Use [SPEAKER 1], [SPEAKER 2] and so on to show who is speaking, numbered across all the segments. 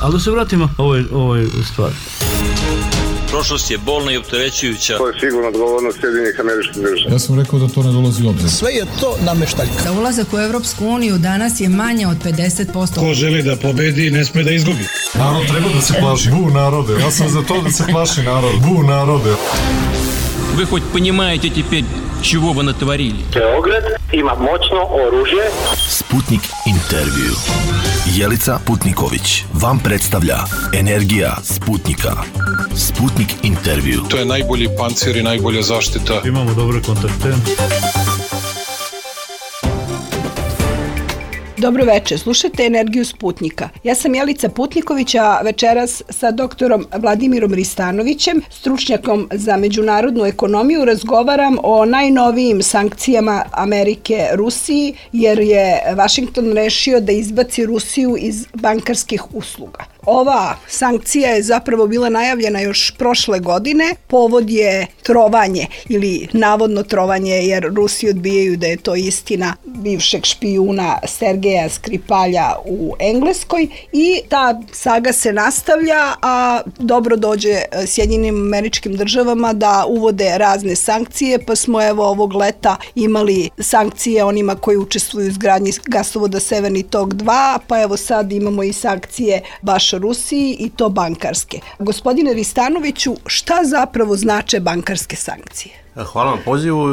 [SPEAKER 1] Ali da se vratimo ovoj stvari.
[SPEAKER 2] Prošlost je bolna i opterećujuća.
[SPEAKER 3] To je sigurno odgovornost Sjedinjenih Američkih Država.
[SPEAKER 4] Ja sam rekao da to ne dolazi u obzir.
[SPEAKER 5] Sve je to nameštaljka.
[SPEAKER 6] Za ulazak u Evropsku uniju danas je manje od 50%.
[SPEAKER 7] Ko želi da pobedi, ne sme da izgubi.
[SPEAKER 4] Narod treba da se plaši. Bu narode. Ja sam za to da se plaši narod. Bu narode.
[SPEAKER 2] Вы хоть понимаете теперь, чего вы натворили?
[SPEAKER 3] Beograd ima moćno oružje.
[SPEAKER 5] Sputnik intervju. Jelica Putniković vam predstavlja Energija Sputnika. Sputnik intervju.
[SPEAKER 4] To je najbolji pancir i najbolja zaštita.
[SPEAKER 1] Imamo dobre kontakte.
[SPEAKER 8] Dobro večer, slušate Energiju Sputnika. Ja sam Jelica Putniković, a večeras sa doktorom Vladimirom Ristanovićem, stručnjakom za međunarodnu ekonomiju, razgovaram o najnovijim sankcijama Amerike Rusiji, jer je Vašington rešio da izbaci Rusiju iz bankarskih usluga. Ova sankcija je zapravo bila najavljena još prošle godine. Povod je trovanje ili navodno trovanje, jer Rusi odbijaju da je to istina, bivšeg špijuna Sergeja Skripalja u Engleskoj, i ta saga se nastavlja, a dobro dođe Sjedinjenim Američkim Državama da uvode razne sankcije, pa smo evo ovog leta imali sankcije onima koji učestvuju u izgradnji gasovoda Severni tok 2, pa evo sad imamo i sankcije baš Rusiji, i to bankarske. Gospodine Ristanoviću, šta zapravo znače bankarske sankcije?
[SPEAKER 9] Hvala vam pozivu.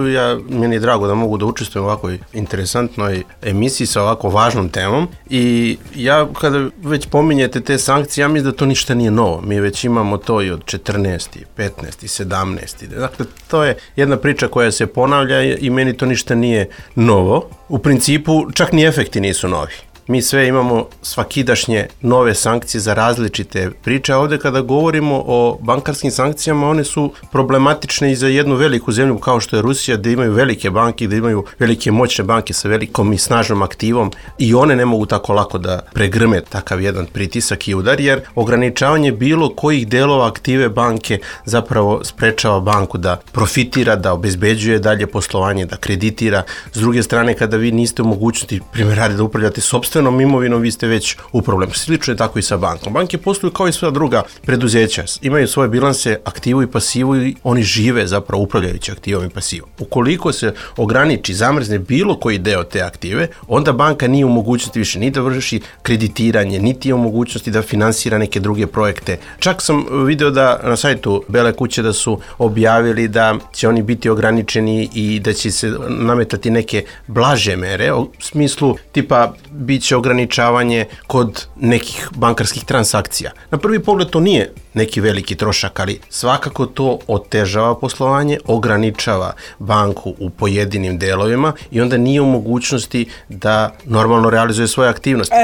[SPEAKER 9] Meni je drago da mogu da učestvujem u ovakvoj interesantnoj emisiji sa ovako važnom temom, i ja kada već pominjete te sankcije, ja mislim da to ništa nije novo. Mi već imamo to i od 14. 15. 17. Dakle, to je jedna priča koja se ponavlja i meni to ništa nije novo. U principu, čak ni efekti nisu novi. Mi sve imamo svakidašnje nove sankcije za različite priče. Ovdje kada govorimo o bankarskim sankcijama, one su problematične i za jednu veliku zemlju kao što je Rusija, gdje imaju velike banke, gdje imaju velike moćne banke sa velikom i snažnom aktivom, i one ne mogu tako lako da pregrme takav jedan pritisak i udar, jer ograničavanje bilo kojih delova aktive banke zapravo sprečava banku da profitira, da obezbeđuje dalje poslovanje, da kreditira. S druge strane, kada vi niste u mogućnosti, primjer radi, da upravljate sopstvenom imovinom, vi ste već u problemu. Slično je tako i sa bankom. Banke posluju kao i sva druga preduzeća. Imaju svoje bilanse, aktivu i pasivu, i oni žive zapravo upravljajući aktivom i pasivom. Ukoliko se ograniči, zamrzne bilo koji deo te aktive, onda banka nije u mogućnosti više ni da vrši kreditiranje, niti je u mogućnosti da finansira neke druge projekte. Čak sam video da na sajtu Bele kuće da su objavili da će oni biti ograničeni i da će se nametati neke blaže mere, u smislu tipa biće ograničavanje kod nekih bankarskih transakcija. Na prvi pogled to nije neki veliki trošak, ali svakako to otežava poslovanje, ograničava banku u pojedinim delovima i onda nije u mogućnosti da normalno realizuje svoje aktivnosti.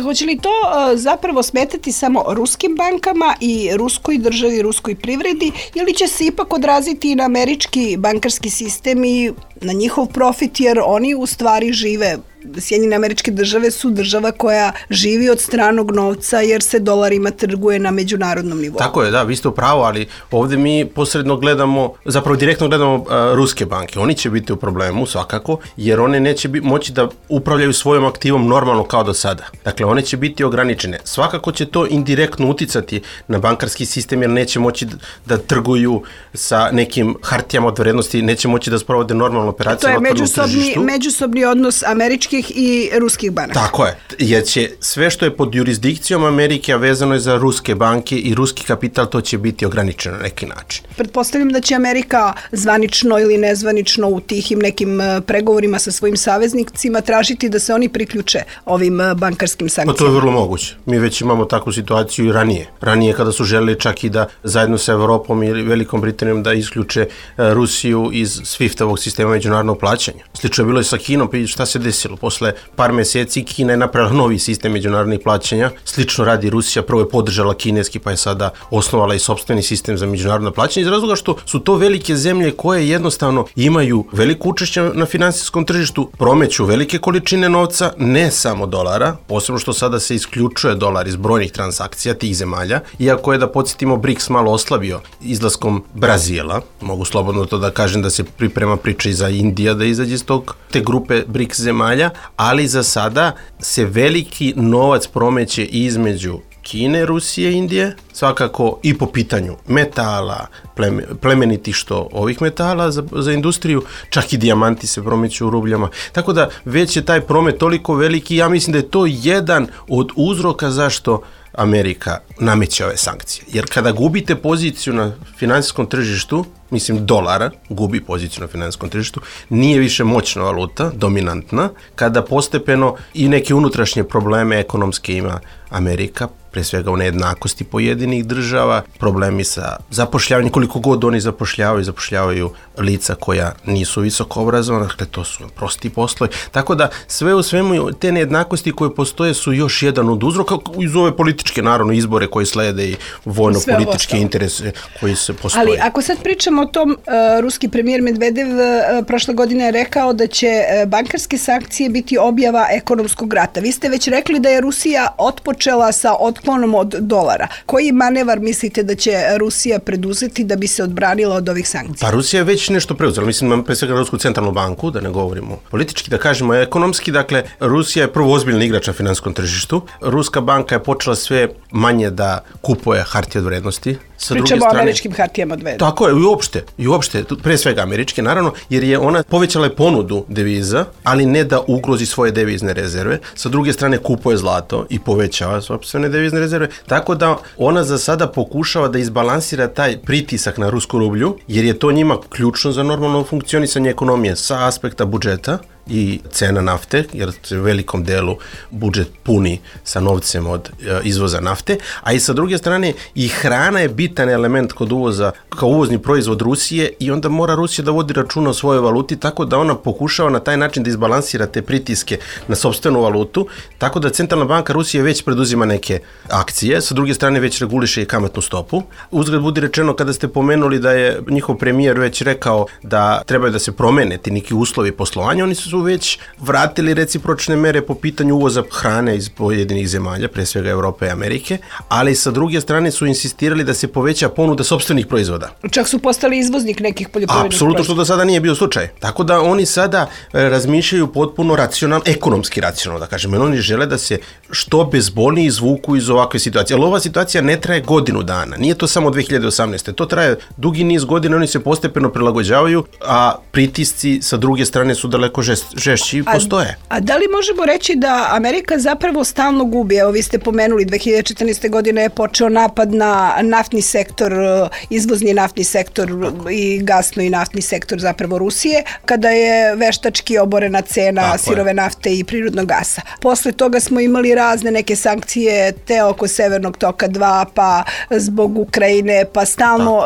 [SPEAKER 8] Hoće li to zapravo smetati samo ruskim bankama i ruskoj državi, ruskoj privredi, ili će se ipak odraziti i na američki bankarski sistem i na njihov profit, jer oni u stvari žive? Sjedinjene Američke Države su država koja živi od stranog novca, jer se dolarima trguje na međunarodnom nivou.
[SPEAKER 9] Tako je, da, vi ste u pravu, ali ovdje mi posredno gledamo, zapravo direktno gledamo ruske banke. Oni će biti u problemu svakako, jer one neće moći da upravljaju svojom aktivom normalno kao do sada. Dakle, one će biti ograničene. Svakako će to indirektno uticati na bankarski sistem, jer neće moći da trguju sa nekim hartijama od vrednosti, neće moći da sprovode normalnu operaciju na otvorenom tržištu.
[SPEAKER 8] To je međusobni odnos američkih i ruskih banaka.
[SPEAKER 9] Tako je, jer će sve što je pod jurisdikcijom Amerike, a vezano je za ruske banke i ruski kapital, to će biti ograničeno na neki način.
[SPEAKER 8] Pretpostavljam da će Amerika zvanično ili nezvanično u tihim nekim pregovorima sa svojim saveznicima tražiti da se oni priključe ovim bankarskim sankcijama.
[SPEAKER 9] To je vrlo moguće. Mi već imamo takvu situaciju i ranije. Ranije kada su želeli čak i da zajedno sa Evropom ili Velikom Britanijom da isključe Rusiju iz SWIFT-ovog sistema međunarodnog plaćanja. Slično je bilo i sa Kinom, pa šta se desilo? Posle par meseci Kina je napravila novi sistem međunarodnih plaćanja. Slično radi Rusija, prvo je podržala kineski, pa je sada osnovala i sopstveni sistem za međunarodno plaćanje, iz razloga što su to velike zemlje koje jednostavno imaju veliko učešće na finansijskom tržištu, promeću velike količine novca, ne samo dolara, posebno što sada se isključuje dolar iz brojnih transakcija tih zemalja, iako je, da podsjetimo, BRICS malo oslabio izlaskom Brazila. Mogu slobodno to da kažem da se priprema priča i za Indija da izađe iz te grupe BRICS zemalja, zemalja, ali za sada se veliki novac promeće između Kine, Rusije, Indije, svakako i po pitanju metala, plemenitih što ovih metala za industriju, čak i dijamanti se promeću u rubljama. Tako da već je taj promet toliko veliki, ja mislim da je to jedan od uzroka zašto Amerika nameće ove sankcije. Jer kada gubite poziciju na finansijskom tržištu, mislim dolara gubi poziciju na finansijskom tržištu, nije više moćna valuta, dominantna, kada postepeno i neke unutrašnje probleme ekonomske ima Amerika, pre svega u nejednakosti pojedinih država, problemi sa zapošljavanjem, koliko god oni zapošljavaju lica koja nisu visoko obrazovana, dakle to su prosti poslovi. Tako da sve u svemu te nejednakosti koje postoje su još jedan od uzroka iz ove političke, naravno, izbore koji slede i vojno-političke interese koji se postoje.
[SPEAKER 8] Ali ako sad pričamo o tom, ruski premijer Medvedev prošle godine je rekao da će bankarske sankcije biti objava ekonomskog rata. Vi ste već rekli da je Rusija otpočela sa otklonom od dolara. Koji manevar mislite da će Rusija preduzeti da bi se odbranila od ovih sankcija?
[SPEAKER 9] Pa Rusija je već nešto preuzela. Mislim, pre svega Rusku centralnu banku, da ne govorimo politički, da kažemo ekonomski. Dakle, Rusija je prvo ozbiljni igrač na finansijskom tržištu. Ruska banka je počela sve manje da kupuje hartije od vrednosti.
[SPEAKER 8] Pričamo o američkim hartijama od vrednosti.
[SPEAKER 9] Tako je, i uopšte, pre svega američke, naravno, jer je ona povećala ponudu deviza, ali ne da ugrozi svoje devizne rezerve. Sa druge strane kupuje zlato i povećava sopstvene devizne rezerve, tako da ona za sada pokušava da izbalansira taj pritisak na rusku rublju, jer je to njima ključno za normalno funkcionisanje ekonomije sa aspekta budžeta i cena nafte, jer se u velikom delu budžet puni sa novcem od izvoza nafte, a i sa druge strane i hrana je bitan element kod uvoza, kao uvozni proizvod Rusije, i onda mora Rusija da vodi računa o svojoj valuti, tako da ona pokušava na taj način da izbalansira te pritiske na sopstvenu valutu, tako da Centralna banka Rusije već preduzima neke akcije, sa druge strane već reguliše i kamatnu stopu. Uzgled budi rečeno, kada ste pomenuli da je njihov premijer već rekao da trebaju da se promene ti neki uslovi poslovanja, oni su već vratili recipročne mere po pitanju uvoza hrane iz pojedinih zemalja, pre svega Evrope i Amerike, ali sa druge strane su insistirali da se poveća ponuda sopstvenih proizvoda.
[SPEAKER 8] Čak su postali izvoznik nekih poljoprivrednih proizvoda.
[SPEAKER 9] Apsolutno, što do sada nije bio slučaj. Tako da oni sada razmišljaju potpuno racionalno, ekonomski racionalno, da kažem, jer oni žele da se što bezbolnije izvuku iz ovakve situacije. Ali ova situacija ne traje godinu dana, nije to samo 2018. To traje dugi niz godina, oni se postepeno prilagođavaju, a pritisci sa druge strane su daleko žešći postoje.
[SPEAKER 8] A da li možemo reći da Amerika zapravo stalno gubi? Evo, vi ste pomenuli, 2014. godine je počeo napad na naftni sektor, izvozni naftni sektor i gasno i naftni sektor zapravo Rusije, kada je veštački oborena cena sirove nafte i prirodnog gasa. Posle toga smo imali razne neke sankcije, te oko Severnog toka 2, pa zbog Ukrajine, pa stalno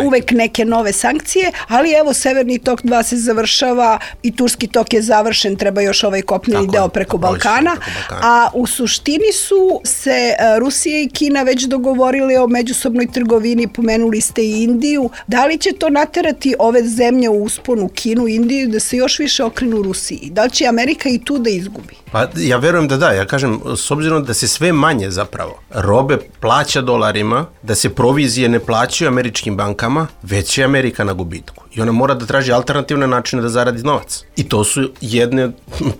[SPEAKER 8] uvek neke nove sankcije, ali evo Severni tok 2 se završava i Turski tok je završen, treba još ovaj kopneni deo preko Balkana, a u suštini su se Rusija i Kina već dogovorili o međusobnoj trgovini, pomenuli ste i Indiju. Da li će to naterati ove zemlje u usponu, Kinu i Indiju, da se još više okrenu Rusiji? Da li će Amerika i tu da izgubi?
[SPEAKER 9] Pa ja verujem da, ja kažem, s obzirom da se sve manje zapravo robe plaća dolarima, da se provizije ne plaćaju američkim bankama, već je Amerika na gubitku. I ona mora da traži alternativne načine da zaradi novac. I to su jedne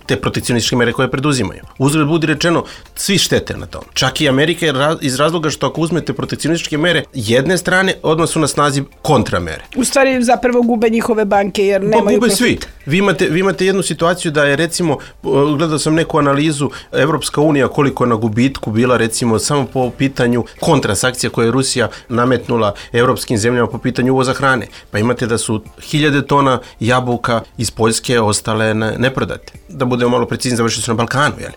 [SPEAKER 9] te protekcionističke mere koje preduzimaju. Uzgled budi rečeno, svi štete na tom. Čak i Amerika iz razloga što ako uzmete protekcionističke mere jedne strane, odmah su na snazi kontramere.
[SPEAKER 8] U stvari zapravo gube njihove banke jer nemaju profit.
[SPEAKER 9] Svi. Vi imate jednu situaciju da je, recimo, gledao sam neku analizu, Evropska unija koliko je na gubitku bila, recimo, samo po pitanju kontrasankcija koje je Rusija nametnula evropskim zemljama po pitanju uvoza hrane. Pa imate da su 1000 tona jabuka iz Poljske ostale neprodate. Da budemo malo precizni, završili su na Balkanu, jel?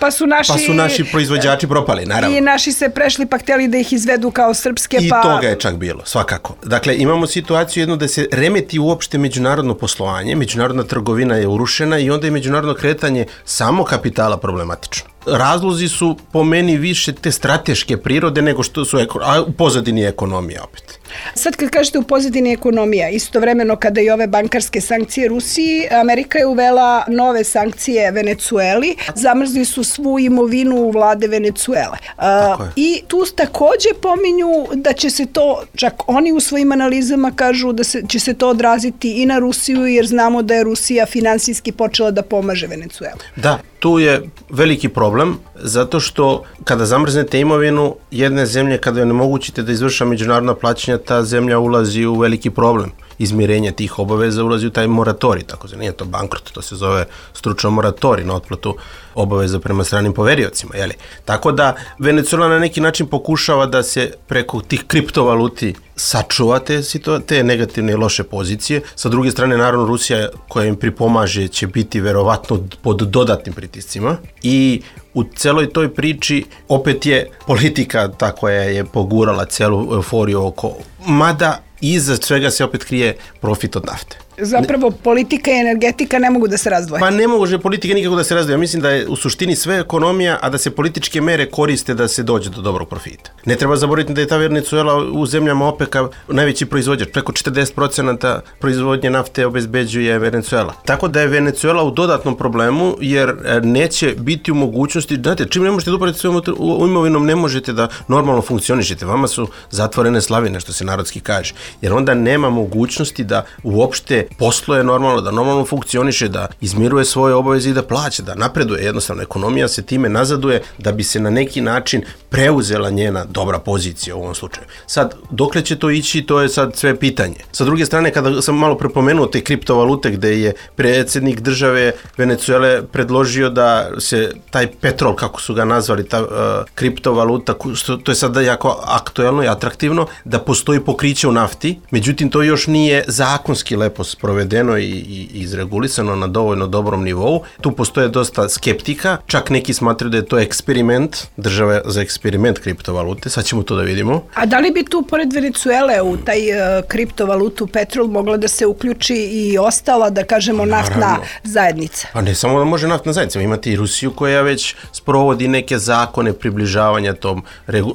[SPEAKER 9] Pa su naši proizvođači propali, naravno.
[SPEAKER 8] I naši se prešli pa htjeli da ih izvedu kao srpske,
[SPEAKER 9] I toga je čak bilo, svakako. Dakle, imamo situaciju jednu da se remeti uopšte međunarodno poslovanje, međunarodna trgovina je urušena i onda je međunarodno kretanje samo kapitala problematično. razlozi su po meni više te strateške prirode nego što su u pozadini ekonomija opet.
[SPEAKER 8] Sad kad kažete u pozadini ekonomija, istovremeno kada i ove bankarske sankcije Rusiji, Amerika je uvela nove sankcije Venecueli, zamrzli su svu imovinu vlade Venecuele. I tu takođe pominju da će se to, čak oni u svojim analizama kažu da će se to odraziti i na Rusiju, jer znamo da je Rusija finansijski počela da pomaže Venecuelu.
[SPEAKER 9] Da, tu je veliki problem, zato što kada zamrznete imovinu jedne zemlje, kada joj onemogućite da izvrša međunarodna plaćanja, ta zemlja ulazi u veliki problem. Izmirenje tih obaveza ulazi u taj moratorij, tako nije to bankrot, to se zove stručno moratorij na otplatu obaveza prema stranim poveriocima. Jeli? Tako da Venezuela na neki način pokušava da se preko tih kriptovaluti sačuva te negativne i loše pozicije. Sa druge strane, naravno, Rusija koja im pripomaže će biti verovatno pod dodatnim pritiscima i u celoj toj priči opet je politika ta koja je pogurala celu euforiju oko, mada iza svega se opet krije profit od nafte.
[SPEAKER 8] Zapravo politika i energetika ne mogu da se razdvoje.
[SPEAKER 9] Pa ne može politika nikako da se razdvoje. Ja mislim da je u suštini sve ekonomija, a da se političke mere koriste da se dođe do dobrog profita. Ne treba zaboraviti da je ta Venezuela u zemljama OPEC-a najveći proizvođač. Preko 40% proizvodnje nafte obezbeđuje Venezuela. Tako da je Venezuela u dodatnom problemu, jer neće biti u mogućnosti, znate, čim ne možete da upravite svojom imovinom, ne možete da normalno funkcionišete. Vama su zatvorene slavine, što se narodski kaže. Jer onda nema mogućnosti da uopšte posluje normalno, da normalno funkcioniše, da izmiruje svoje obaveze i da plaća, da napreduje. Jednostavno, ekonomija se time nazaduje da bi se na neki način preuzela njena dobra pozicija u ovom slučaju. Sad, dokle će to ići, to je sad sve pitanje. Sa druge strane, kada sam malo prepomenuo te kriptovalute gde je predsjednik države Venezuele predložio da se taj petrol, kako su ga nazvali, ta kriptovaluta, to je sada jako aktuelno i atraktivno, da postoji pokriće u nafti, međutim to još nije zakonski lepo sprovedeno i izregulisano na dovoljno dobrom nivou. Tu postoje dosta skeptika, čak neki smatraju da je to eksperiment, država za eksperiment kriptovalute, sad ćemo to da vidimo.
[SPEAKER 8] A da li bi tu pored Venezuele u taj kriptovalutu petrol mogla da se uključi i ostala, da kažemo, naftna zajednica?
[SPEAKER 9] Pa ne samo da može naftna zajednica, imate i Rusiju koja već sprovodi neke zakone približavanja tom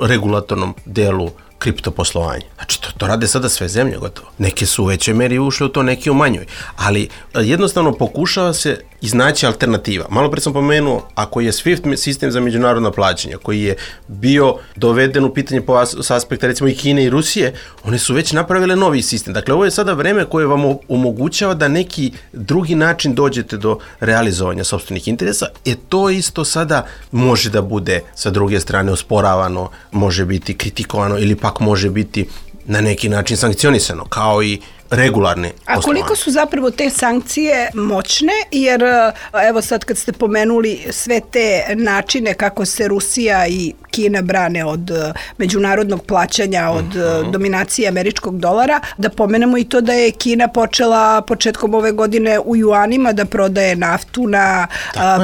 [SPEAKER 9] regulatornom delu kriptoposlovanja. Znači, to rade sada sve zemlje gotovo. Neke su u većoj meri ušle u to, neke u manjoj. Ali jednostavno pokušava se iznaći alternativa. Malo pre sam pomenuo, ako je SWIFT sistem za međunarodna plaćanja, koji je bio doveden u pitanje s aspekta recimo i Kine i Rusije, one su već napravile novi sistem. Dakle, ovo je sada vreme koje vam omogućava da neki drugi način dođete do realizovanja sopstvenih interesa. To isto sada može da bude sa druge strane osporavano, može biti kritikovano ili pak može biti na neki način sankcionisano, kao i regularne poslovanje.
[SPEAKER 8] A koliko su zapravo te sankcije moćne, jer evo sad kad ste pomenuli sve te načine kako se Rusija i Kina brane od međunarodnog plaćanja, od dominacije američkog dolara, da pomenemo i to da je Kina počela početkom ove godine u juanima da prodaje naftu na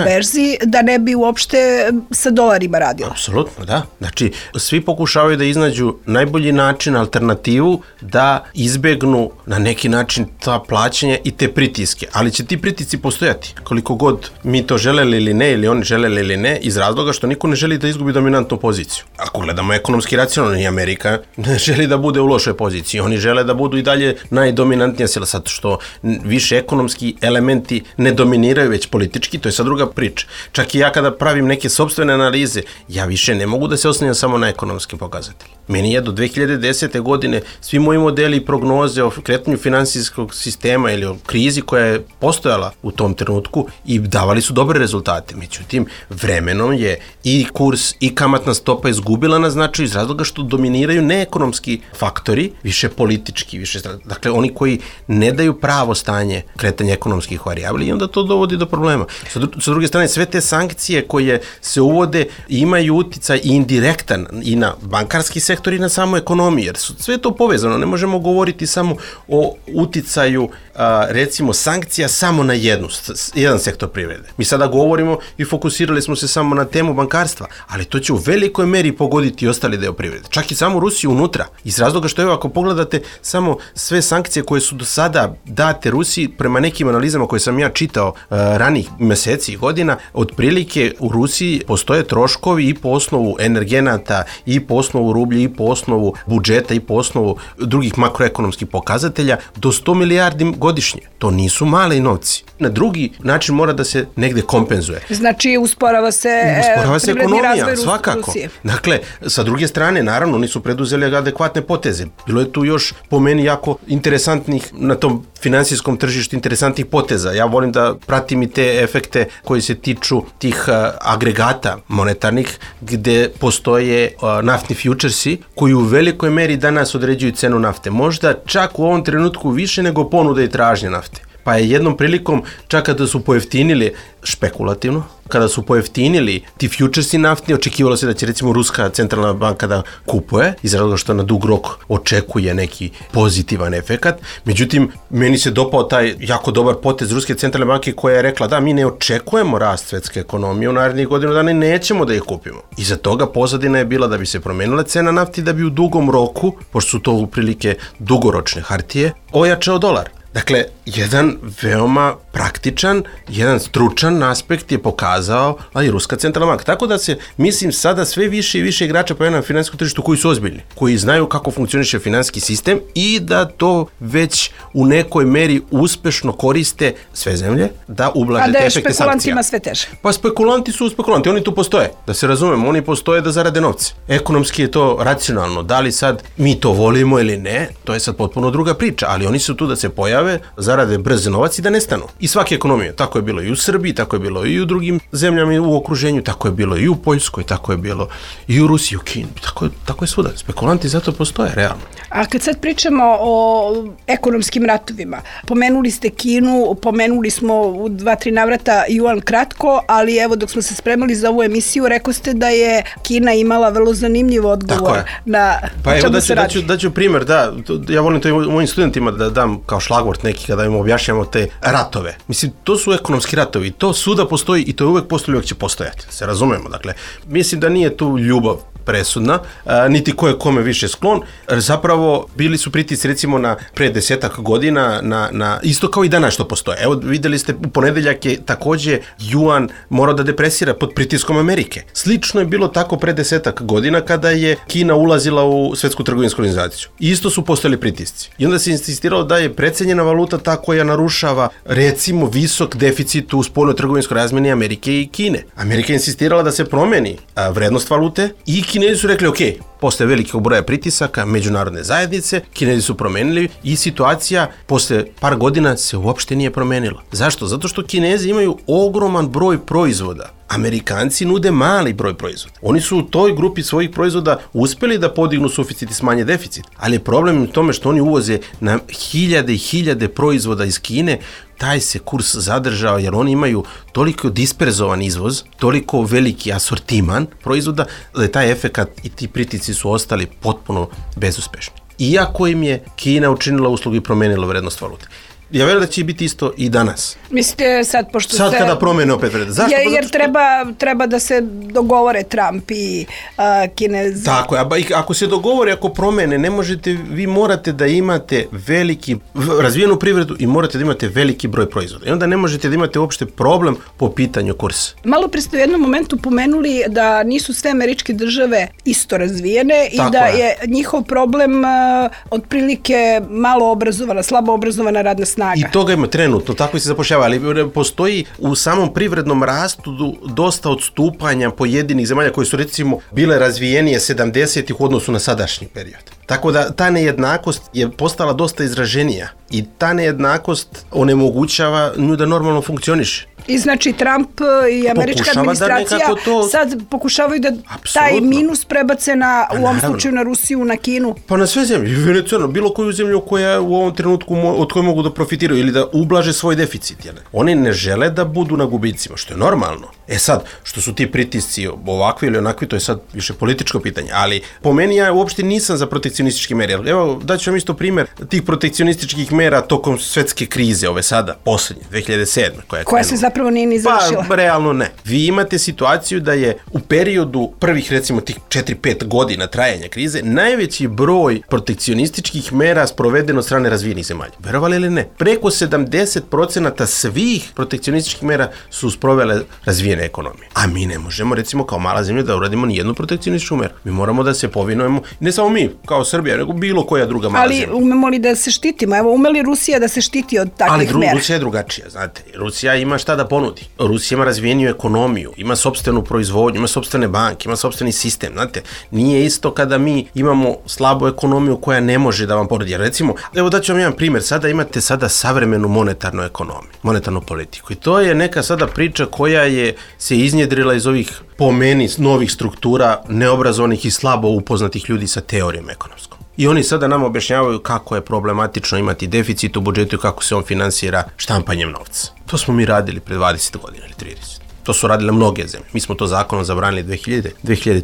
[SPEAKER 8] berzi, da ne bi uopšte sa dolarima radila.
[SPEAKER 9] Apsolutno, da. Znači, svi pokušavaju da iznađu najbolji način, alternativu, da izbegnu na neki način ta plaćanja i te pritiske, ali će ti pritisci postojati koliko god mi to želeli ili ne, ili oni želeli ili ne, iz razloga što niko ne želi da izgubi dominantnu poziciju. Ako gledamo ekonomski racionalno, i Amerika ne želi da bude u lošoj poziciji, oni žele da budu i dalje najdominantnija sila, zato što više ekonomski elementi ne dominiraju, već politički, to je sad druga priča. Čak i ja kada pravim neke sopstvene analize, ja više ne mogu da se oslanjam samo na ekonomskim pokazateljima. Meni je do 2010. godine svi moji modeli i prognoze o kretanju finansijskog sistema ili o krizi koja je postojala u tom trenutku i davali su dobre rezultate. Međutim, vremenom je i kurs i kamatna stopa izgubila na značaju iz razloga što dominiraju neekonomski faktori, više politički, dakle oni koji ne daju pravo stanje kretanja ekonomskih varijabli i onda to dovodi do problema. Sa druge strane, sve te sankcije koje se uvode imaju uticaj i indirektan i na bankarski sektor i na samu ekonomiju, jer sve to povezano, ne možemo govoriti samo o uticaju recimo sankcija samo na jedan sektor privrede. Mi sada govorimo i fokusirali smo se samo na temu bankarstva, ali to će u velikoj meri pogoditi ostali deo privrede. Čak i samu Rusiju unutra. Iz razloga što evo, ako pogledate samo sve sankcije koje su do sada date Rusiji, prema nekim analizama koje sam ja čitao ranih meseci i godina, otprilike u Rusiji postoje troškovi i po osnovu energenata, i po osnovu rublja, i po osnovu budžeta, i po osnovu drugih makroekonomskih pokazatelja do 100 milijardi godišnje. To nisu mali novci. Na drugi način mora da se negde kompenzuje.
[SPEAKER 8] Znači, usporava se
[SPEAKER 9] ekonomija, svakako. Rusije. Dakle, sa druge strane, naravno, oni su preduzeli adekvatne poteze. Bilo je tu još, po meni, jako interesantnih, na tom finansijskom tržištu, interesantnih poteza. Ja volim da pratim i te efekte koji se tiču tih agregata monetarnih, gde postoje naftni fjučersi, koji u velikoj meri danas određuju cenu nafte. Možda čak u ovom trenutku više nego ponuda i tražnje nafte. Pa je jednom prilikom, čak kada su pojeftinili, špekulativno, kada su pojeftinili ti fjučersi naftni, očekivalo se da će recimo Ruska centralna banka da kupuje, iz razloga što na dug rok očekuje neki pozitivan efekat. Međutim, meni se dopao taj jako dobar potez Ruske centralne banke koja je rekla da mi ne očekujemo rast svetske ekonomije u narednih godinu dana i nećemo da ih kupimo. Iza toga pozadina je bila da bi se promenila cena nafti, da bi u dugom roku, pošto su to uprilike dugoročne hartije, ojačao dolar. Dakle, jedan veoma praktičan, jedan stručan aspekt je pokazao i Ruska centralna banka. Tako da se, mislim, sada sve više i više igrača pojavljaju na finansijskom tržištu koji su ozbiljni, koji znaju kako funkcioniše finansijski sistem i da to već u nekoj meri uspešno koriste sve zemlje da ublaže te efekte sankcija. A da je špekulantima sve teže? Pa spekulanti su spekulanti, oni tu postoje, da se razumemo, oni postoje da zarade novce. Ekonomski je to racionalno, da li sad mi to volimo ili ne, to je sad potpuno druga priča, ali oni su tu da se pojave, zarade brz novac i da nestanu. I svake ekonomije, tako je bilo i u Srbiji, tako je bilo i u drugim zemljama u okruženju, tako je bilo i u Poljskoj, tako je bilo i u Rusiji, u Kini, tako je svuda. Spekulanti zato postoje, realno.
[SPEAKER 8] A kad sad pričamo o ekonomskim ratovima, pomenuli ste Kinu, pomenuli smo u 2-3 navrata Juan kratko, ali evo dok smo se spremali za ovu emisiju, rekao ste da je Kina imala vrlo zanimljiv odgovor na čemu se radi.
[SPEAKER 9] Daću primjer, da, ja volim to i mojim studentima da dam kao šlagvort neki kada im objašnjamo te ratove. Mislim, to su ekonomski ratovi, to svuda postoji i to je uvek postoji, uvek će postojati, se razumemo. Dakle, mislim da nije tu ljubav presudna, niti ko je kome više sklon. Zapravo, bili su pritisci recimo na pre 10 godina, na isto kao i danas što postoje. Evo, videli ste, u ponedeljak je takođe Juan morao da depresira pod pritiskom Amerike. Slično je bilo tako pre 10 godina kada je Kina ulazila u Svetsku trgovinsku organizaciju. Isto su postojali pritisci. I onda se insistiralo da je precenjena valuta ta koja narušava recimo visok deficit u spoljnoj trgovinskoj razmeni Amerike i Kine. Amerika je insistirala da se promeni vrednost valute i Kinezi su rekli, ok, posle velikog broja pritisaka međunarodne zajednice, Kinezi su promenili i situacija posle par godina se uopšte nije promenila. Zašto? Zato što Kinezi imaju ogroman broj proizvoda. Amerikanci nude mali broj proizvoda. Oni su u toj grupi svojih proizvoda uspeli da podignu suficit i smanje deficit, ali je problem u tome što oni uvoze na hiljade i hiljade proizvoda iz Kine, taj se kurs zadržao jer oni imaju toliko disperzovan izvoz, toliko veliki asortiman proizvoda, da je taj efekat i ti pritisci su ostali potpuno bezuspešni. Iako im je Kina učinila uslugu i promenila vrednost valute. Ja verujem da će biti isto i danas.
[SPEAKER 8] Mislite sad, pošto
[SPEAKER 9] sad kada promene opet vrednost. Zašto?
[SPEAKER 8] Jer treba da se dogovore Trump i Kinez.
[SPEAKER 9] Tako je, ako se dogovore, ako promene, ne možete, vi morate da imate razvijenu privredu i morate da imate veliki broj proizvoda. I onda ne možete da imate uopšte problem po pitanju kursa.
[SPEAKER 8] Malo pre ste u jednom momentu pomenuli da nisu sve američke države isto razvijene i tako da je njihov problem otprilike malo obrazovana, slabo obrazovana radna snaga.
[SPEAKER 9] I toga ima trenutno, tako se zapošljava, ali postoji u samom privrednom rastu dosta odstupanja pojedinih zemalja koje su recimo bile razvijenije 70-ih u odnosu na sadašnji period. Tako da ta nejednakost je postala dosta izraženija i ta nejednakost onemogućava nju da normalno funkcioniše.
[SPEAKER 8] I znači Trump i američka administracija sad pokušavaju da taj minus prebace u ovom slučaju na Rusiju, na Kinu.
[SPEAKER 9] Pa na sve zemlje, Venezuela, bilo koju zemlju koja u ovom trenutku od koje mogu da profitiraju ili da ublaže svoj deficit. Oni ne žele da budu na gubicima, što je normalno. Sad, što su ti pritisci ovakvi ili onakvi, to je sad više političko pitanje, ali po meni ja uopšte nisam za protekcionističke mere. Evo, daću vam isto primjer tih protekcionističkih mera tokom svetske krize, ove sada, poslednje, 2007.
[SPEAKER 8] Koja se zapravo nije ni završila.
[SPEAKER 9] Pa, realno ne. Vi imate situaciju da je u periodu prvih, recimo, tih 4-5 godina trajanja krize, najveći broj protekcionističkih mera sprovedeno od strane razvijenih zemalja. Verovali ili ne? Preko 70% svih protekcionističkih mera su sprovele razvijene ekonomije. A mi ne možemo, recimo, kao mala zemlja da uradimo ni jednu protekcionističku meru. Mi moramo da se povinujemo, ne samo mi, kao Srbija, nego bilo koja druga mala zemlja.
[SPEAKER 8] Ali umemo li da se štitimo? Evo, ume li Rusija da se štiti od takvih mera?
[SPEAKER 9] Ali Rusija je drugačija, znate. Rusija ima šta da ponudi. Rusija ima razvijeniju ekonomiju, ima sopstvenu proizvodnju, ima sopstvene banke, ima sopstveni sistem, znate. Nije isto kada mi imamo slabu ekonomiju koja ne može da vam ponudi. Recimo, evo daću vam jedan primjer, imate savremenu monetarnu ekonomiju, monetarnu politiku. I to je neka sada priča koja se iznjedrila iz ovih, po meni, novih struktura neobrazovanih i slabo upoznatih ljudi sa teorijom ekonomskom. I oni sada nam objašnjavaju kako je problematično imati deficit u budžetu i kako se on finansira štampanjem novca. To smo mi radili pre 20 godina ili 30. To su radile mnoge zemlje. Mi smo to zakonom zabranili 2000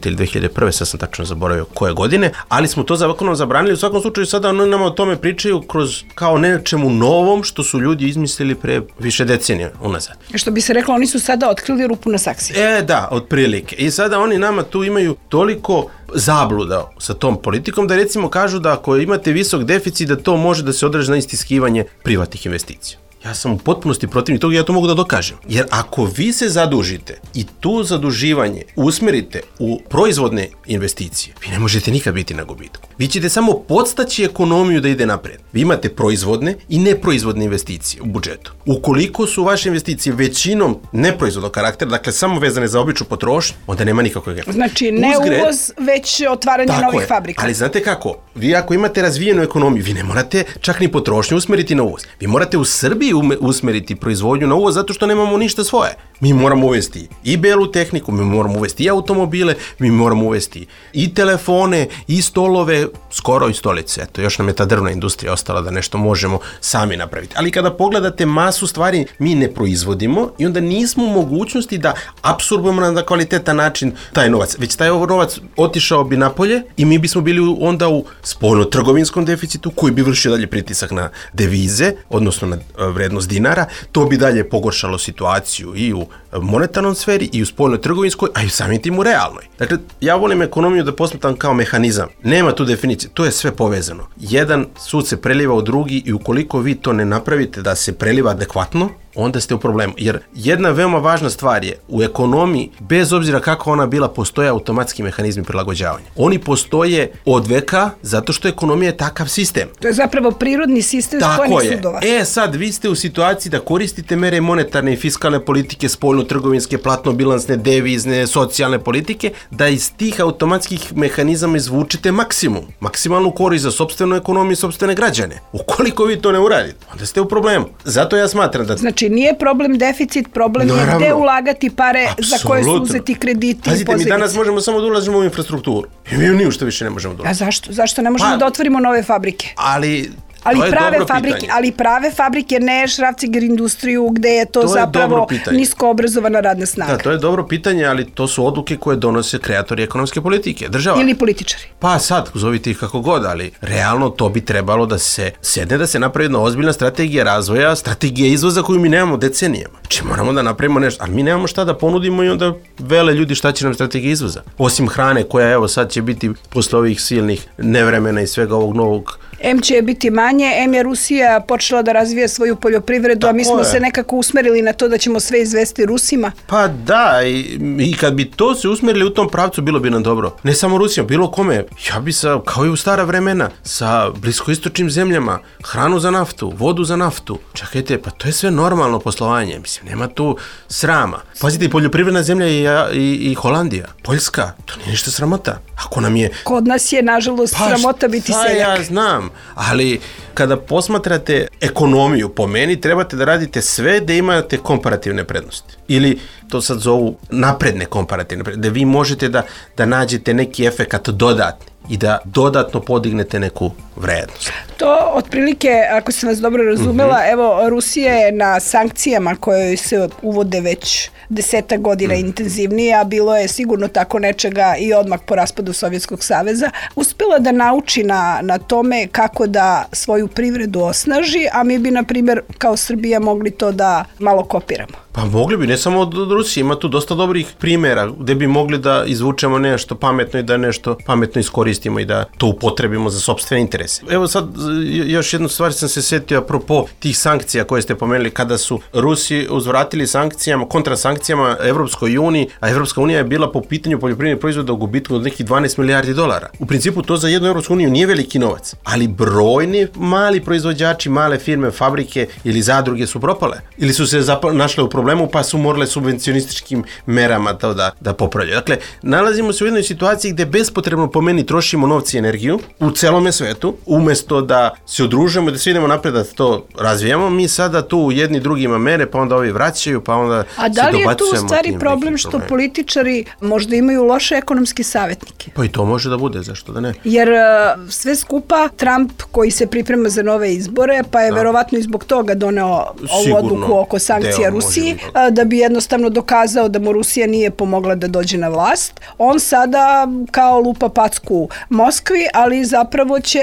[SPEAKER 9] ili 2001. Sad sam tačno zaboravio koje godine, ali smo to zakonom zabranili. U svakom slučaju sada oni nam o tome pričaju kroz kao nečemu novom što su ljudi izmislili pre više decenija unazad.
[SPEAKER 8] Što bi se reklo, oni su sada otkrili rupu na saksiji.
[SPEAKER 9] Da, otprilike. I sada oni nama tu imaju toliko zabluda sa tom politikom da recimo kažu da ako imate visok deficit da to može da se odraži na istiskivanje privatnih investicija. Ja sam u potpunosti protivnik toga i ja to mogu da dokažem. Jer ako vi se zadužite i tu zaduživanje usmerite u proizvodne investicije, vi ne možete nikad biti na gubitku. Vi ćete samo podstaći ekonomiju da ide napred. Vi imate proizvodne i neproizvodne investicije u budžetu. Ukoliko su vaše investicije većinom neproizvodnog karaktera, dakle samo vezane za običnu potrošnju, onda nema nikakvog efekta.
[SPEAKER 8] Znači ne uvoz, već otvaranje novih fabrika.
[SPEAKER 9] Ali znate kako? Vi ako imate razvijenu ekonomiju, vi ne morate čak ni potrošnju usmeriti na uvoz. Vi morate u Srbiji usmeriti proizvodnju na uvoz zato što nemamo ništa svoje. Mi moramo uvesti i belu tehniku, mi moramo uvesti i automobile, mi moramo uvesti i telefone, i stolove, skoro i stolice. Eto, još nam je ta drvna industrija ostala da nešto možemo sami napraviti. Ali kada pogledate masu stvari, mi ne proizvodimo i onda nismo u mogućnosti da apsorbujemo na kvalitetan način taj novac. Već taj novac otišao bi napolje i mi bismo bili onda u spoljno-trgovinskom deficitu koji bi vršio dalje pritisak na devize, odnosno na vrednost dinara. To bi dalje pogoršalo situaciju i u monetarnom sferi i u spoljno-trgovinskoj, a i samim tim u realnoj. Dakle, ja volim ekonomiju da posmatram kao mehanizam. Nema tu definicije, to je sve povezano. Jedan sud se preliva u drugi i ukoliko vi to ne napravite da se preliva adekvatno, onda ste u problemu. Jer jedna veoma važna stvar je u ekonomiji, bez obzira kako ona bila, postoje automatski mehanizmi prilagođavanja. Oni postoje od veka zato što ekonomija je takav sistem.
[SPEAKER 8] To je zapravo prirodni sistem spojenih sudova.
[SPEAKER 9] Sad vi ste u situaciji da koristite mere monetarne i fiskalne politike, spoljno-trgovinske, platno-bilansne, devizne, socijalne politike, da iz tih automatskih mehanizama izvučete maksimum. Maksimalnu korist za sopstvenu ekonomiju i sopstvene građane. Ukoliko vi to ne uradite, onda ste u problemu. Zato ja smatram da...
[SPEAKER 8] Znači, nije problem deficit, problem je gde ulagati pare za koje su uzeti krediti.
[SPEAKER 9] Pazite, mi danas možemo samo da ulažemo u infrastrukturu. I mi ni u što više ne možemo da ulažemo.
[SPEAKER 8] A zašto? Zašto ne možemo da otvorimo nove fabrike? Ali prave fabrike, ne šrafciger industriju gde je to zapravo nisko obrazovana radna snaga.
[SPEAKER 9] Da, to je dobro pitanje, ali to su odluke koje donose kreatori ekonomske politike, država.
[SPEAKER 8] Ili političari.
[SPEAKER 9] Pa sad, zovite ih kako god, ali realno to bi trebalo da se sedne, da se napravi jedna ozbiljna strategija razvoja, strategija izvoza koju mi nemamo decenijama. Znači moramo da napravimo nešto, ali mi nemamo šta da ponudimo i onda vele ljudi šta će nam strategija izvoza. Osim hrane koja evo sad će biti posle ovih silnih nevremena i svega ovog novog.
[SPEAKER 8] M će biti manje, M je Rusija počela da razvija svoju poljoprivredu, a mi smo se nekako usmerili na to da ćemo sve izvesti Rusima.
[SPEAKER 9] Pa da, i kad bi to se usmerili u tom pravcu, bilo bi nam dobro. Ne samo Rusija, bilo kome. Ja bi kao i u stara vremena, sa bliskoistočnim zemljama, hranu za naftu, vodu za naftu. Čekajte, pa to je sve normalno poslovanje. Mislim, nema tu srama. Pazite, i poljoprivredna zemlja i Holandija, Poljska, to nije ništa sramota. Ako nam je...
[SPEAKER 8] Kod nas je, nažalost, sramota biti seljak.
[SPEAKER 9] Ja znam, ali kada posmatrate ekonomiju, po meni trebate da radite sve da imate komparativne prednosti. Ili to sad zovu napredne komparativne prednosti, da vi možete da nađete neki efekat dodatni i da dodatno podignete neku vrednost.
[SPEAKER 8] To otprilike, ako sam vas dobro razumela, evo, Rusija je na sankcijama koje se uvode već 10 godina intenzivnije, a bilo je sigurno tako nečega i odmah po raspadu Sovjetskog saveza, uspela da nauči na tome kako da svoju privredu osnaži, a mi bi, na primjer, kao Srbija mogli to da malo kopiramo.
[SPEAKER 9] Pa mogli bi, ne samo od Rusije, ima tu dosta dobrih primjera gde bi mogli da izvučemo nešto pametno i da nešto pametno iskoristimo i da to upotrebimo za sopstvene interese. Evo sad, još jednu stvar sam se setio apropo tih sankcija koje ste pomenuli, kada su Rusi uzvratili sankcijama, kontrasankcijama Evropskoj uniji, a Evropska unija je bila po pitanju poljoprivrednih proizvoda u gubitku od nekih 12 milijardi dolara. U principu to za jednu Evropsku uniju nije veliki novac, ali brojni mali proizvođači, male firme, fabrike ili zadruge su propale ili su se našle u problemu pa su morale subvencionističkim merama to da popravljaju. Dakle, nalazimo se u jednoj situaciji gde bespotrebno po meni trošimo novci i energiju u celome svetu, umesto da se udružujemo i da svi idemo napred da to razvijamo, mi sada tu jedni drugima mere, pa onda ovi vraćaju, pa onda se dobacujemo.
[SPEAKER 8] A da li je tu u stvari problem što političari možda imaju loše ekonomske savjetnike?
[SPEAKER 9] Pa i to može da bude, zašto da ne?
[SPEAKER 8] Jer sve skupa Trump koji se priprema za nove izbore, pa je verovatno i zbog toga doneo ovu odluku oko sankcija Rusiji, da bi jednostavno dokazao da mu Rusija nije pomogla da dođe na vlast. On sada kao lupa packu Moskvi, ali zapravo će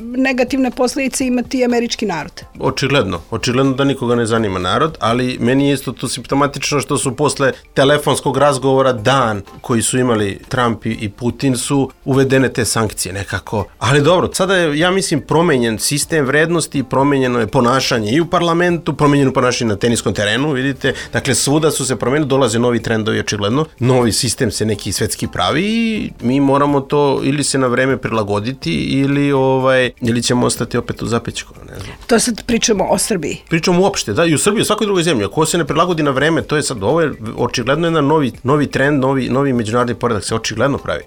[SPEAKER 8] negativne posljedice imati američki narod.
[SPEAKER 9] Očigledno da nikoga ne zanima narod, ali meni je isto tu simptomatično što su posle telefonskog razgovora dan koji su imali Trump i Putin su uvedene te sankcije nekako. Ali dobro, sada je, ja mislim, promenjen sistem vrednosti, promenjeno je ponašanje i u parlamentu, promenjeno ponašanje na teniskom terenu, vidite, dakle svuda su se promenili, dolaze novi trendovi očigledno, novi sistem se neki svetski pravi i mi moramo to ili se na vreme prilagoditi ili ćemo ostati opet u zapećku, ne znam.
[SPEAKER 8] To sad pričamo o Srbiji.
[SPEAKER 9] Pričamo uopšte, da, i u Srbiji, u svakoj drugoj zemlji. Ako se ne prilagodi na vreme, to je sad, ovo je očigledno jedan novi trend, novi međunarodni poredak se očigledno pravi.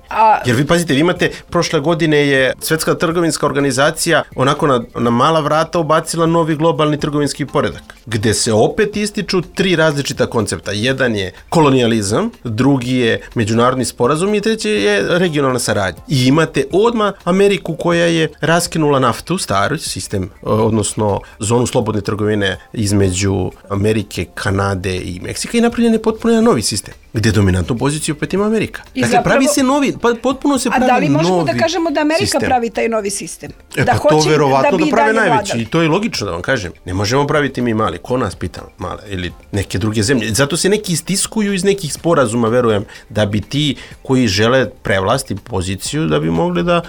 [SPEAKER 9] Jer vi pazite, vi imate, prošle godine je Svetska trgovinska organizacija onako na mala vrata ubacila novi globalni trgovinski poredak, gde se opet ističu 3 različita koncepta. Jedan je kolonijalizam, drugi je međunarodni sporazum i treći je regionalna saradnja. I imate odmah Ameriku koja je raskinula naftu, stari sistem, odnosno zonu slobodne trgovine između Amerike, Kanade i Meksika i napravljen je potpuno jedan novi sistem, gde dominantnu poziciju opet ima Amerika. Dakle, pravi se novi, potpuno se pravi novi sistem. A da li možemo da kažemo da Amerika
[SPEAKER 8] pravi taj novi sistem?
[SPEAKER 9] To verovatno da prave najveći i to je logično da vam kažem. Ne možemo praviti mi mali, ko nas pita male ili neke druge zemlje. Zato se neki istiskuju iz nekih sporazuma, verujem, da bi ti koji žele prevlasti poziciju, da bi mogli da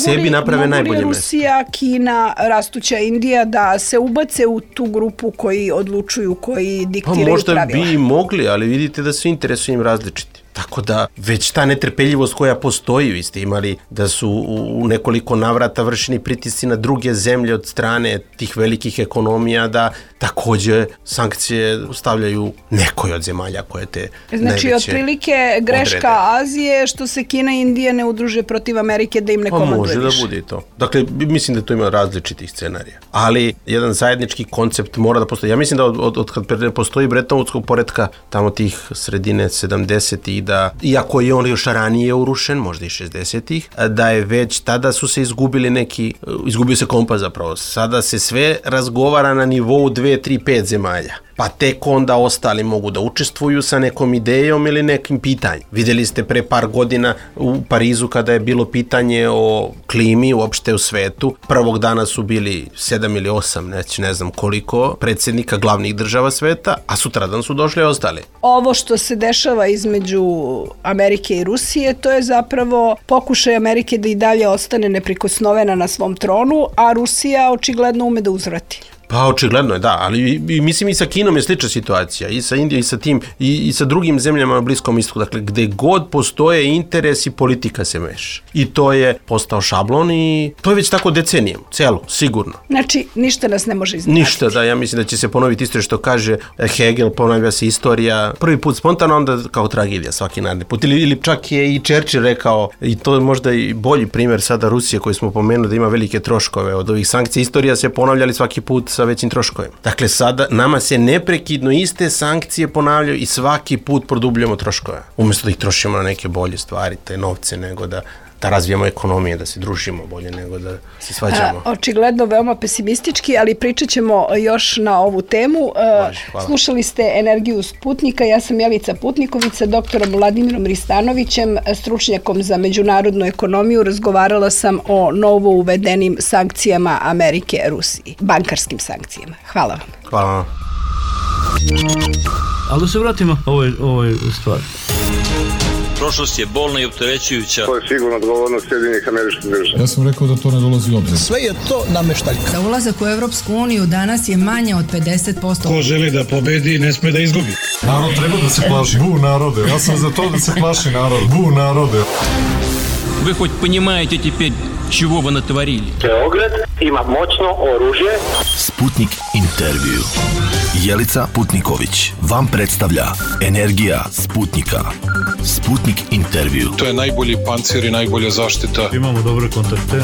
[SPEAKER 9] sebi naprave najbolje mesto.
[SPEAKER 8] Mogu li Rusija, Kina, rastuća Indija da se ubace u tu grupu koji odlučuju, koji diktiraju pravila?
[SPEAKER 9] Možda bi mogli, ali vidite da su interesi im različiti. Tako da već ta netrpeljivost koja postoji, vi ste imali da su u nekoliko navrata vršeni pritisci na druge zemlje od strane tih velikih ekonomija da takođe sankcije stavljaju nekoj od zemalja koje te najveće
[SPEAKER 8] Znači, otprilike greška Azije što se Kina i Indija ne udruže protiv Amerike da im ne komanduje više.
[SPEAKER 9] Može da bude i to. Dakle, mislim da to ima različitih scenarija. Ali jedan zajednički koncept mora da postoji. Ja mislim da od kad postoji Bretonvudskog poretka, tamo tih sredine 70-ih, da, iako je on još ranije urušen, možda i 60-ih, da je već tada su se izgubio se kompas zapravo. Sada se sve razgovara na nivou 2, 3, 5 zemalja. Pa tek onda ostali mogu da učestvuju sa nekom idejom ili nekim pitanjem. Vidjeli ste pre par godina u Parizu kada je bilo pitanje o klimi uopšte u svetu. Prvog dana su bili 7 ili 8, ne znam koliko, predsjednika glavnih država sveta, a sutradan su došli ostali.
[SPEAKER 8] Ovo što se dešava između Amerike i Rusije, to je zapravo pokušaj Amerike da i dalje ostane neprikosnovena na svom tronu, a Rusija očigledno ume da uzvrati.
[SPEAKER 9] Pa očigledno je, da, ali mislim i sa Kinom je slična situacija, i sa Indijom, i sa tim, i sa drugim zemljama na Bliskom istoku, dakle, gde god postoje interes i politika se meša. I to je postao šablon i to je već tako decenijom, celo, sigurno.
[SPEAKER 8] Znači, ništa nas ne može iznenaditi.
[SPEAKER 9] Ništa, da, ja mislim da će se ponoviti isto što kaže Hegel, ponavlja se istorija, prvi put spontano, onda kao tragedija svaki naredni put. Ili čak je i Churchill rekao, i to je možda i bolji primjer sada Rusije koji smo pomenuli da ima velike troškove od ovih sankcija, istorija se ponavljali svaki put sa većim troškovima. Dakle, sada nama se neprekidno iste sankcije ponavljaju i svaki put produbljamo troškove. Umjesto da ih trošimo na neke bolje stvari, te novce, nego da razvijamo ekonomije, da se družimo bolje nego da se svađamo.
[SPEAKER 8] Očigledno veoma pesimistički, ali pričat ćemo još na ovu temu.
[SPEAKER 9] Hvala.
[SPEAKER 8] Slušali ste Energiju Sputnika, ja sam Jelica Putniković sa doktorom Vladimirom Ristanovićem, stručnjakom za međunarodnu ekonomiju. Razgovarala sam o novo uvedenim sankcijama Amerike Rusiji, bankarskim sankcijama. Hvala vam.
[SPEAKER 9] Hvala vam.
[SPEAKER 1] Ali da se vratimo ovoj stvari.
[SPEAKER 2] Prošlost je bolna i opterećujuća.
[SPEAKER 3] To je sigurno odgovornost Sjedinjenih Američkih Država.
[SPEAKER 7] Ja sam rekao da to ne dolazi u obzir.
[SPEAKER 5] Sve je to nameštaljka.
[SPEAKER 6] Za ulazak u Evropsku uniju danas je manje od 50%.
[SPEAKER 7] Ko želi da pobedi, ne sme da izgubi.
[SPEAKER 4] Narod treba da se plaši. Bu narode, ja sam za to da se plaši narod. Bu narode.
[SPEAKER 2] Вы хоть понимаете теперь, чего вы натворили?
[SPEAKER 3] Beograd ima moćno oružje.
[SPEAKER 5] Sputnik intervju. Jelica Putniković vam predstavlja Energija Sputnika. Sputnik intervju.
[SPEAKER 7] To je najbolji pancir i najbolja zaštita.
[SPEAKER 1] Imamo dobre kontakte.